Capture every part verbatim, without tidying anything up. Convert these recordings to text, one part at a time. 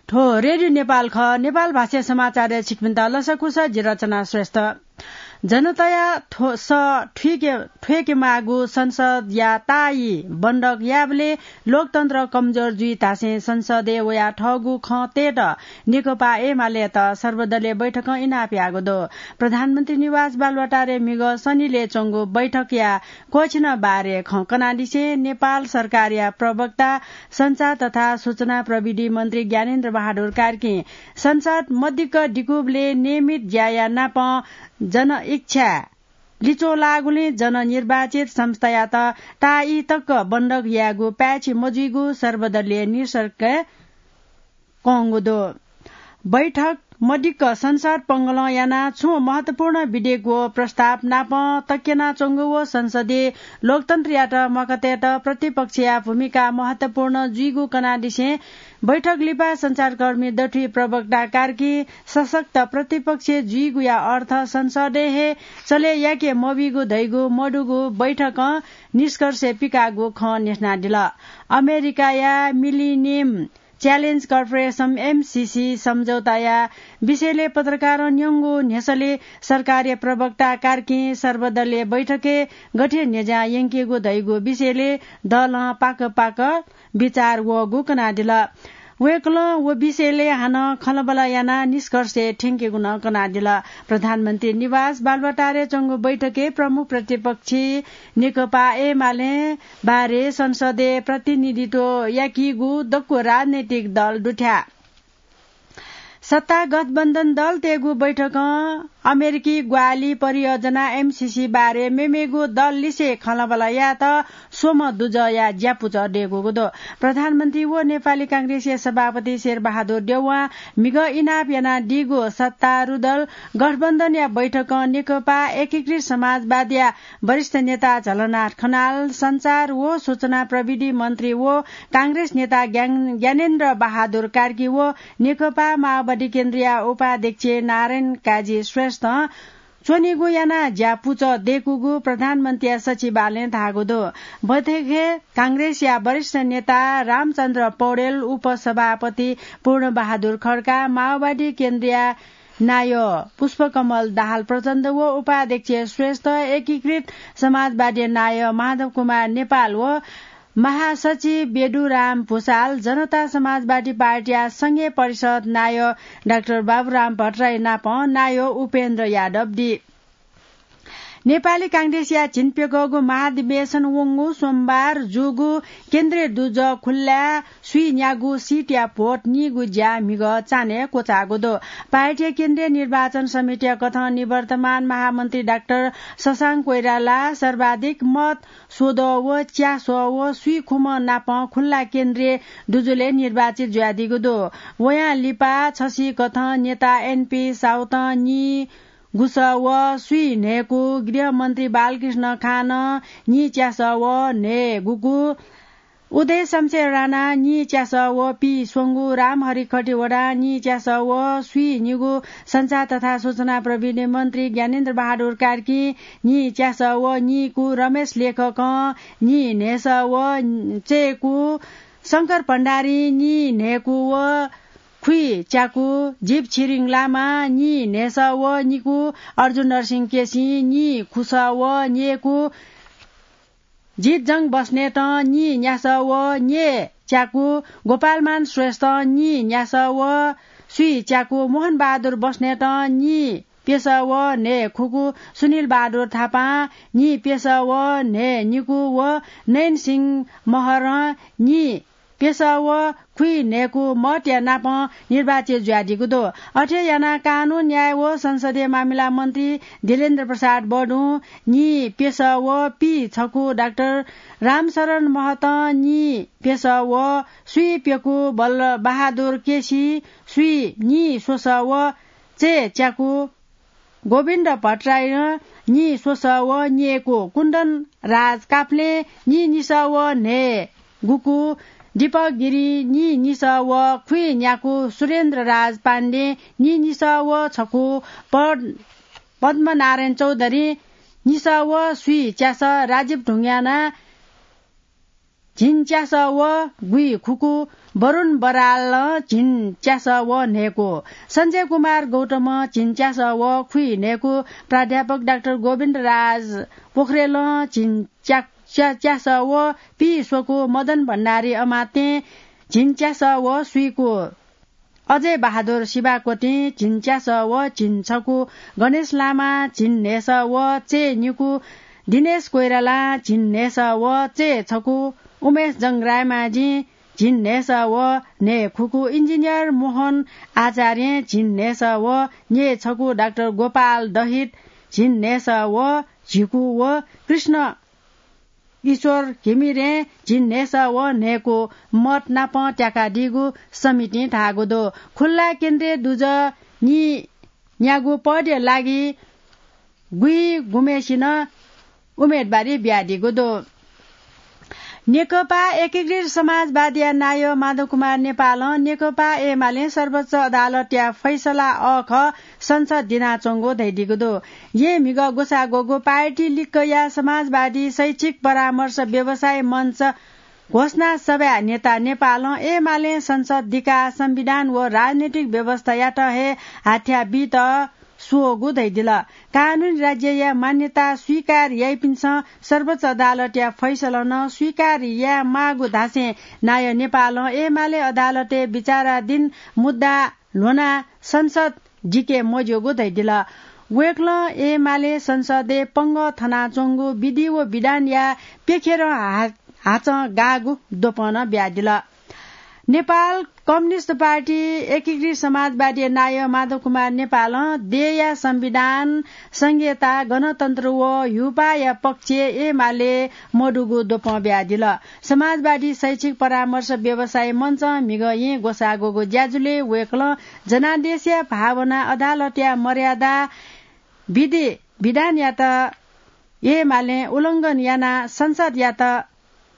थ्व रेडियो नेपाल खः। नेपाल भाषा समाचारय् छिकपिन्त लसकुस, जि रचना श्रेष्ठ। जनताया थ्व-, स थुइके, थ्वय्‌के माःगु संसदया ताःई बन्धक याःबलय् लोकतन्त्र कमजोर जुइ धासें संसदय् वयाः थःगु खँ तयेत नेकपा एमालेयात सर्वदलीय बैठकं इनाप याःगु दु। प्रधानमन्त्री निवास बालुवाटारय् म्हिगः शनिलय् च्वंगु बैठकया क्वःछिन बारे खँ कनादिसें नेपाल सरकारया प्रवक्ता सञ्चार तथा सूचना प्रविधि मन्त्री ज्ञानेन्द्र बहादुर कार्कीं संसद मदिक्क दिकूबलय् नियमित ज्याया नापं जनइच्छा लिच्वः लाःगुलिं जननिर्वाचित संस्थायात ताःई तक बन्धक यायेगु पाय्‌छि मजुइगु सर्वदलीय निष्कर्षय् कंगु दु। बैठक मदिक्क संसद पंगलं यानाः छुं महत्वपूर्ण विधेयक व प्रस्ताव नापं तक्यनाच्वंगु व संसदीय लोकतन्त्रयात मखुतयेत प्रतिपक्षया भूमिका महत्वपूर्ण जुइगु कनादिसें बैठक लिपा सञ्चारकर्मी दथुइ प्रवक्ता कार्कीं सशक्त प्रतिपक्ष जुइगुया अर्थ संसदय् हे चले याके मबीगु धइगु मदुगु बैठकं निष्कर्षय् पिकाःगु खँ न्ह्यसनादिल। अमेरिकाया मिलिनियम च्यालेन्ज कर्पोरेसन, एमसिसी, सम्झौताया विषयले पत्रकारं न्यंगु न्ह्यसःले सरकारया प्रवक्ता कार्कीं सर्वदलीय बैठकय् गथे न्ह्यज्यां यंकेगु धइगु विषयले दलं पाक पाक बिचाः वःगु कनादिल। वय्‌कलं व विषयले हानं खँल्हाबल्हा यानाः निष्कर्षय् थ्यंकेगु नं कनादिल। प्रधानमन्त्री निवास बालुवाटारय् च्वंगु बैठकय् प्रमुख प्रतिपक्षी नेकपा एमालें बारे संसदय् प्रतिनिधित्व याकीगु दक्व राजनैतिक दल दुथ्याः। सत्ता गठबन्धन दलतय्‌गु बैठकं अमेरिकी ग्वाहालि परियोजना, एमसिसी, बारे मेमेगु दल लिसे खँल्हाबल्हा यायेत स्वम्ह दुजःया ज्यापुचः दयेकूगु दु। प्रधानमन्त्री व नेपाली कांग्रेसया सभापति शेरबहादुर देउवां म्हिगः इनाप यानादीगु सत्तारूढ दल गठबन्धनया बैठकं नेकपा एकीकृत समाजवादीया वरिष्ठ नेता झलनाथ खनाल, सञ्चार व सूचना प्रविधि मन्त्री व कांग्रेस नेता ज्ञान-, ज्ञानेन्द्र बहादुर कार्की व नेकपा माओवादी केन्द्रया उपाध्यक्ष नारायण काजी श्रेष्ठं च्वनीगु यानाः ज्यापुचः दयेकूगु प्रधानमन्त्रीया सचिवालयं धाःगु दु। बैठकय् कांग्रेसया वरिष्ठ नेता रामचन्द्र पौडेल, उपसभापति पूर्णबहादुर खड्का, माओवादी केन्द्रया नायः पुष्पकमल दाहाल प्रचण्ड व उपाध्यक्ष श्रेष्ठ, एकीकृत समाजवादी नायः माधव कुमार नेपाल व महासचिव बेदुराम भुसाल, जनता समाजवादी पार्टीया संघीय परिषद नायः डाक्टर बाबुराम भट्टराई नाप नायः उपेन्द्र यादव दी। नेपाली कांग्रेसया झिंप्यघौगु महाधिवेशन वंगु सोमबार जूगु केन्द्रीय दुजः खुल्लाय् स्वीन्यागू सिटया भोट नीगु ज्या म्हिगः चान्हय् क्वचाःगु दु। पार्टीया केन्द्रीय निर्वाचन समितिया कथं निवर्तमान महामन्त्री डाक्टर शशांक कोइराला सर्वाधिक मत स्वद्वः व च्यासः व स्वीखुम्ह नाप खुल्ला केन्द्रीय दुजुलय् निर्वाचित जुयादीगु दु। वयां लिपा छसिकथं नेता एनपी साउतं नीगुसः व स्वीन्हय्‌कू, गृहमन्त्री बालकृष्ण खानं नीच्यासः व न्हय्‌गूकू, उदय शमशेर राणां नीच्यासः व पीस्वंगू, रामहरि खतिवडां नीच्यासः व स्वीनिगू, सञ्चार तथा सूचना प्रविधि मन्त्री ज्ञानेन्द्र बहादुर कार्कीं नीच्यासः व नीकू, रमेश लेखकं नीन्हय्‌सः व चय्‌कू, शंकर भण्डारीं नीन्हय्‌कू व खुइच्याकू, जीव छिरिङ लामां नीन्हय्‌सः व निकू, अर्जुन नरसिंह केसीं नीखुसः व न्यय्‌कू, जितजंग बस्नेतं नीन्यासः व न्यय्‌च्याकू, गोपालमान श्रेष्ठं नीन्यासः व स्वीच्याकू, मोहनबहादुर बस्नेतं नीप्यसः व न्हय्‌खुकू, सुनिल बहादुर थापां नीप्यसः व न्हय्‌निकू व नयनसिंह महरं नीप्यसः व खुइन्हय्‌कू मतया नाप निर्वाचित जुयादीगु दु। अथे यानाः कानून, न्याय व संसदीय मामिला मन्त्री दिलेन्द्र प्रसाद बडुं नीप्यसः व पीछकू, डाक्टर रामशरण महतं नीप्यसः व स्वीप्यकू, बल्ल बहादुर केसी स्वीनिस्वसः व चय्‌च्याकू, गोविन्द भट्टराईं नीस्वसः व न्यय्‌कू, कुन्दन राज काफ्लें नीनिसः व न्हय्‌गूकू, दीपक गिरिं नीनिसः व खुइन्याकू, सुरेन्द्र राज पाण्डें नीनिसः व छकू, पद-, पद्मनारायण चौधरीं निसः व स्वीच्यासः, राजीव ढुङ्गानां झिंच्यासः व गुइखुकू, वरुण बरालं झिंच्यासः व न्हय्कू, सञ्जय कुमार गौतमं झिंच्यासः व खुइन्हय्कू, प्राध्यापक डाक्टर गोविन्द राज पोखरेलं झिंच्या-, च्या-, च्यासः व पीस्वकू, मदन भण्डारी अमात्यं झिंच्यासः व स्वीकू, अजय बहादुर शिवाकोटीं झिंच्यासः व झिंछकू, गणेश लामां झिंन्हय्सः व चय्निकू, दिनेश कोइरालां झिंन्हय्सः व चय्छकू, उमेश जंग्रायमाझीं झिंन्हय्सः व न्हय्खुकू, इन्जिनियर मोहन आचार्यं झिंन्हय्सः व न्यय्छकू, डाक्टर गोपाल दहित झिंन्हय्सः व झिंकू व कृष्ण ईश्वर घिमिरें झिंन्हय्सः व न्हय्कू मत नाप त्याकादीगु समितिं धाःगु दु। खुल्ला केन्द्रीय दुजः नीन्यागू पदया लागि गुइगुम्हेसिनं उम्मेदवारी बियादीगु दु। नेकपा एकीकृत समाजवादीया नायः माधव कुमार नेपालं नेकपा एमालें सर्वोच्च अदालतया फैसला अःखः संसद दिनाच्वंगु धयादीगु दु। येँ म्हिगः ग्वसाः ग्वःगु पार्टी लिक्कया समाजवादी शैक्षिक परामर्श व्यवसायी मञ्च घोषणा सभाय् नेता नेपालं एमालें संसद दिकाः संविधान व राजनैतिक व्यवस्थायात हे हाथ्या बीत स्वःगु धयादिल। कानूनी राज्यया मान्यता स्वीकार याइपिन्सं सर्वोच्च अदालतया फैसला नं स्वीकार यायेमाःगु धासें नायः नेपालं एमाले अदालतय् विचाराधीन मुद्दा ल्ह्वनाः संसद दिके मज्यूगु धयादिल। वय्कलं एमाले संसदय् पंगः थनाच्वंगु विधि व विधानया प्यखेरं हा-, हाचं गाःगु द्वपं नं बियादिल। नेपाल कम्युनिस्ट पार्टी एकीकृत समाजवादीया नायः माधव कुमार नेपालं देय्या संविधान, संघीयता, गणतन्त्र व ह्युपाःया पक्षय् एमाले मदुगु द्वपं बियादिल। समाजवादी शैक्षिक परामर्श व्यवसायी मञ्चं म्हिगः येँ ग्वसाः ग्वःगु ज्याझ्वलय् वय्कलं जनादेशया भावना, अदालतया मर्यादा, विधि विधानयात एमालें उल्लंघन यानाः संसदयात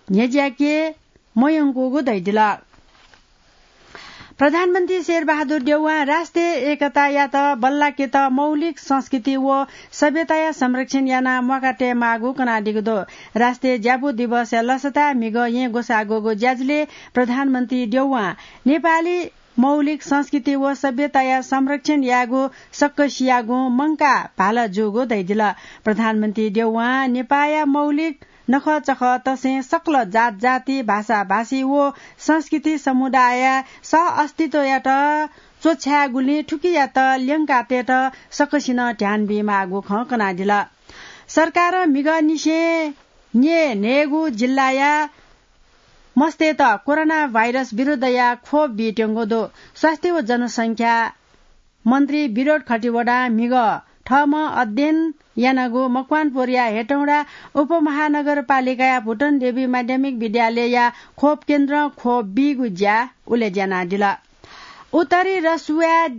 न्ह्यज्याके मयंकूगु धयादिल। प्रधानमन्त्री शेरबहादुर देउवां राष्ट्रिय एकतायात बल्लाकेत मौलिक संस्कृति व सभ्यताया संरक्षण यानाः म्वाका तयेमाःगु कनादीगु दु। राष्ट्रिय ज्यापु दिवसया लसताय् म्हिगः येँ ग्वसाः ग्वःगु ज्याझ्वलय् प्रधानमन्त्री देउवां नेपाली मौलिक संस्कृति व सभ्यताया संरक्षण यायेगु सकसियागुं मंकाः भाला जूगु धयादिल। प्रधानमन्त्री देउवां नेपाःया मौलिक नखःचखः तसें सकल जातजाति, भाषाभाषी व संस्कृति समुदायया सह अस्तित्वयात च्वछायेगुलिं थुकियात ल्यंकातयेत सकसिनं ध्यान बीमाःगु खँ कनादिल। सरकारं म्हिगःनिसें न्यय्न्हय्गू जिल्लाया मस्तय्त कोरोना भाइरस विरुद्धया खोप बीत्यंगु दु। स्वास्थ्य व जनसंख्या मन्त्री विनोद खतिवडां म्हिगः थःम्हं अध्ययन यानागु मकवानपुरया हेटौँडा उपमहानगरपालिकाया भुटन देवी माध्यमिक विद्यालयया खोप केन्द्रं खोप बीगु ज्या उलेज्यानादिल। उत्तरी रसुवाय्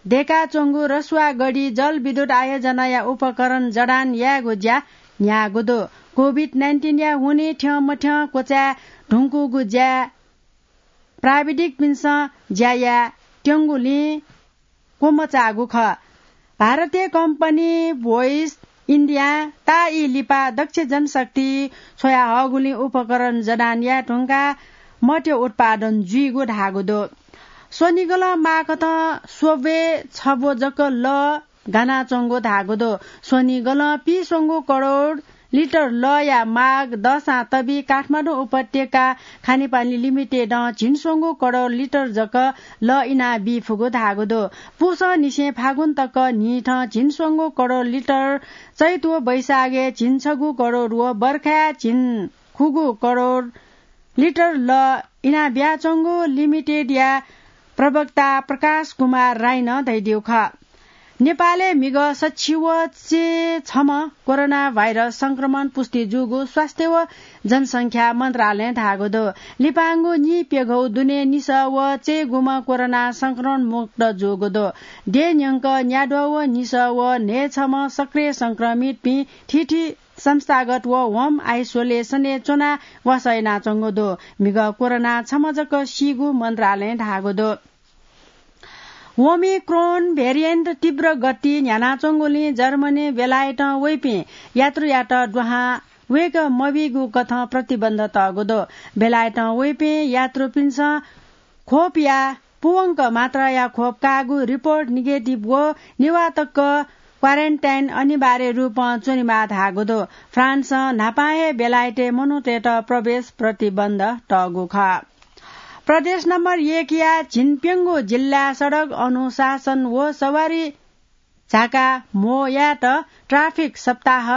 दय्काच्वंगु रसुवागढी जलविद्युत आयोजनाया उपकरण जडान यायेगु ज्या न्ह्याःगु दु। कोभिड नाइन्टिनया हुनिं थ्यंमथ्यं क्वचाये धुंकूगु ज्या प्राविधिकपिन्सं ज्या यायेत्यंगुलिं क्वमचाःगु खः। भारतीय कम्पनी भोइस इन्डियां ताःई लिपा दक्ष जनशक्ति छ्वयाहःगुलिं उपकरण जडान याये धुंकाः मद्य उत्पादन जुइगु धाःगु दु। स्वनिगलं माःकथं स्वब्वय् छब्व जक लः गानाच्वंगु धाःगु दु। स्वनिगलं पीस्वंगू करोड लिटर लःया माग दःसां तबी काठमाडौं उपत्यका खानेपानी लिमिटेडं झिंस्वंगू करोड लिटर जक लः इनाबी फुगु धाःगु दु। पुसंनिसें फागुन तक न्हिथं झिंस्वंगू करोड लिटर, चैत व वैशाखय् झिंछगू करोड व बर्खाय् झिंखुगू करोड लिटर लः इनाबियाच्वंगु लिमिटेडया प्रवक्ता प्रकाश कुमार राईनं धयादीगु खः। नेपालय् म्हिगः सच्छि व चय्छम्ह कोरोना भाइरस संक्रमण पुष्टि जूगु स्वास्थ्य व जनसंख्या मन्त्रालयं धाःगु दु। लिपांगु नीप्यघौ दुने निसः व चय्गुम्ह कोरोना संक्रमण मुक्त जूगु दु। देय् न्यंक न्याद्वः व निसः व न्हय्छम्ह सक्रिय संक्रमितपिं थीथी संस्थागत व होम आइसोलेसनय् च्वनाः वासः यानाच्वंगु दु। म्हिगः कोरोनां छम्ह जक सीगु मन्त्रालयं धाःगु दु। ओमिक्रोन भेरिएन्ट तीव्र गति न्ह्यानाच्वंगुलिं जर्मनी, बेलायतं वइपिं यात्रुयात दुहां वेग मबीगु कथं प्रतिबन्ध तःगु दु। बेलायतं वइपिं यात्रुपिन्सं खोपया पूवंक मात्राया खोप काःगु रिपोर्ट निगेटिभ व निवाः तक क्वारेन्टाइन अनिवार्य रूपं च्वनेमाः धाःगु दु। फ्रान्सं न्हापां हे बेलायतय् मनूतय्त प्रवेश प्रतिबन्ध तःगु खः। प्रदेश नम्बर एकया झिंप्यंगू जिल्ला सडक अनुशासन व सवारी झाका म्हो यायेत ट्राफिक सप्ताह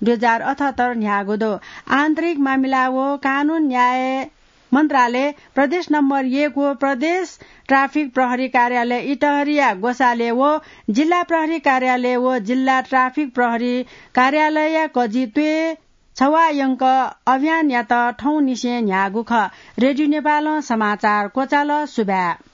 दुई हजार अठहत्तर न्ह्याःगु दु। आन्तरिक मामिला व कानून न्याय मन्त्रालय, प्रदेश नम्बर एक व प्रदेश ट्राफिक प्रहरी कार्यालय इटहरिया ग्वसालय् व जिल्ला प्रहरी कार्यालय व जिल्ला ट्राफिक प्रहरी कार्यालयया कजि त्वय् छवायंक अभियानयात थौंनिसें न्ह्याःगु खः। रेडियो नेपालं समाचार क्वचाल। सुभाय्।